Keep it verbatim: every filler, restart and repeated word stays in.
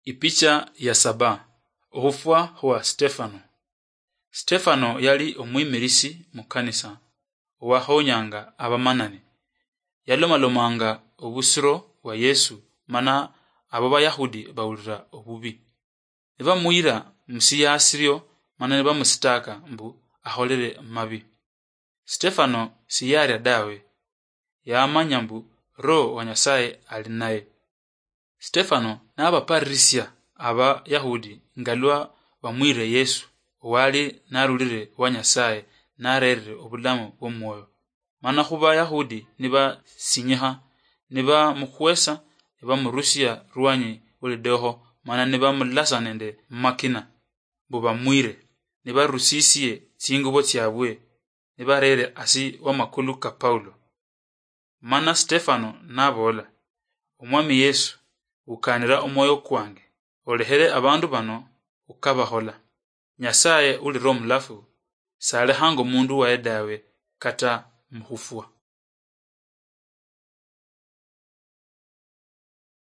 Ipicha ya saba. Okhufwa khwa Stefano. Stefano yali omwimirisi mukanisa owakhonyanga abamanani. Yalomalomanga obusiro bwa Yesu, mana abo Bayahudi bawulira obubi. Nibamuyira musiyaasiryo, mana nibamusitaaka mbu akholere mabi. Stefano siyarya dawe, yamanya mbu Roho wa Nyasaye ali naye. Stefano nabaparirisia Abayahudi ngalwa bamwire Yesu, owali narulire wa Nyasaye, narerire obulamu bw'omwoyo. Mana khuba Yahudi nibasinyikha, nibamukhwesa, nibamurusia rwanyi olidokho, mana nibamulasa nende mumakina, mbu bamwire, nibarusisie tsingubo tsiabwe, nibarere asi wamakulu ka Paulo. Mana Stefano nabola, "Omwami Yesu, ukanira omwoyo kwange, olekhere abandu bano ukabakhola. Nyasaye uli Roho Mulafu, salekhanga omundu waye dawe, kata mukhufwa."